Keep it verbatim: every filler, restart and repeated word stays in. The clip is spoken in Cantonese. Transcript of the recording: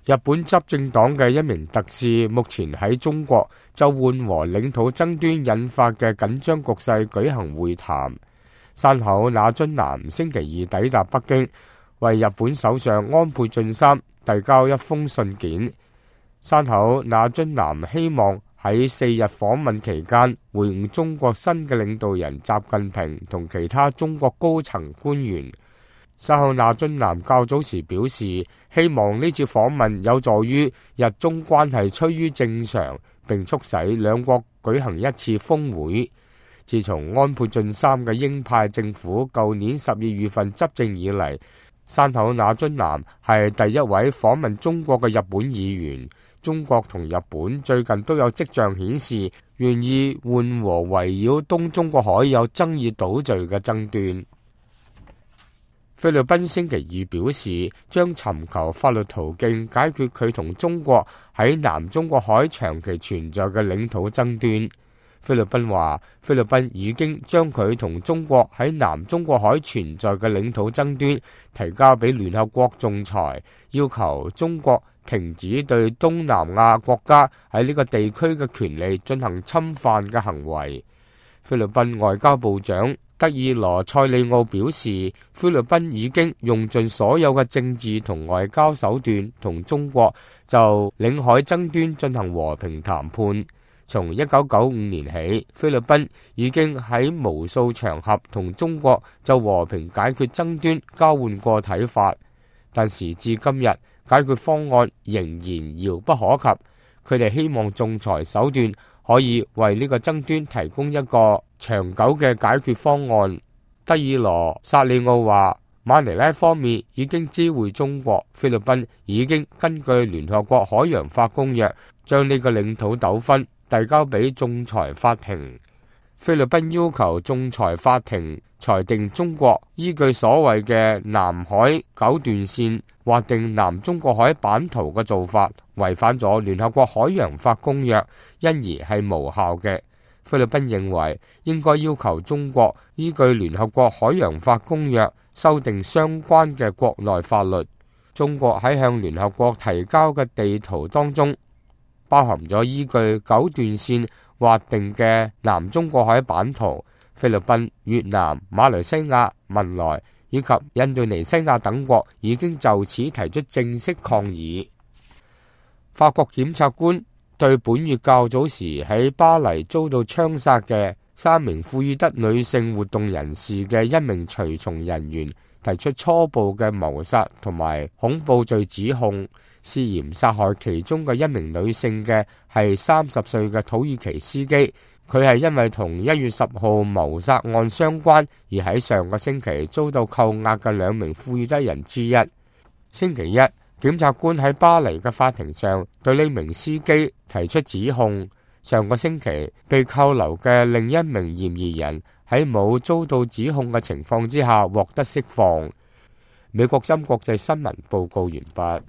日本執政黨嘅一名特使目前喺中國就緩和領土爭端引發嘅緊張局勢舉行會談。山口那津男星期二抵達北京，為日本首相安倍晉三遞交一封信件。山口那津男希望喺四日訪問期間會晤中國新嘅領導人習近平同其他中國高層官員。山口那津男較早時表示，希望呢次訪問有助於日中關係趨於正常，並促使兩國舉行一次峰會。自從安倍晉三嘅鷹派政府舊年十二月份執政以嚟，山口那津男係第一位訪問中國嘅日本議員。中國同日本最近都有跡象顯示願意緩和圍繞東中國海有爭議島嶼嘅爭端。菲律賓星期二表示，將尋求法律途徑解決佢同中國喺南中國海長期存在嘅領土爭端。菲律賓話，菲律賓已經將佢同中國喺南中國海存在嘅領土爭端提交俾聯合國仲裁，要求中國停止對東南亞國家喺呢個地區嘅權利進行侵犯嘅行為。菲律賓外交部長德爾羅塞利奧表示，菲律賓已經用盡所有嘅政治同外交手段同中國就領海爭端進行和平談判。從一九九五年起，菲律賓已經喺無數場合同中國就和平解決爭端交換過睇法，但時至今日，解決方案仍然遙不可及。佢哋希望仲裁手段可以為呢個爭端提供一個長久嘅解決方案。德爾羅薩利奧話，馬尼拉方面已經知會中國，菲律賓已經根據聯合國海洋法公約將呢個領土糾紛遞交俾仲裁法庭。菲律賓要求仲裁法庭裁定中國依據所謂嘅南海九段線劃定南中國海版圖嘅做法違反咗聯合國海洋法公約，因而係無效嘅。菲律賓認為應該要求中國依據聯合國海洋法公約修訂相關嘅國內法律。中國喺向聯合國提交嘅地圖當中包含咗依據九段線劃定嘅南中國海版圖。菲律賓、越南、馬來西亞、文萊以及印度尼西亞等國已經就此提出正式抗議。法國檢察官對本月較早時喺巴黎遭到槍殺嘅三名庫爾德女性活動人士嘅一名隨從人員提出初步嘅謀殺同埋恐怖罪指控，涉嫌殺害其中嘅一名女性嘅係三十歲嘅土耳其司機。佢係因為同一月十號謀殺案相關，而喺上個星期遭到扣押嘅兩名庫爾德人之一。星期一，檢察官喺巴黎嘅法庭上對呢名司機提出指控。上個星期被扣留嘅另一名嫌疑人喺冇遭到指控嘅情況之下獲得釋放。美國針國際新聞報告完畢。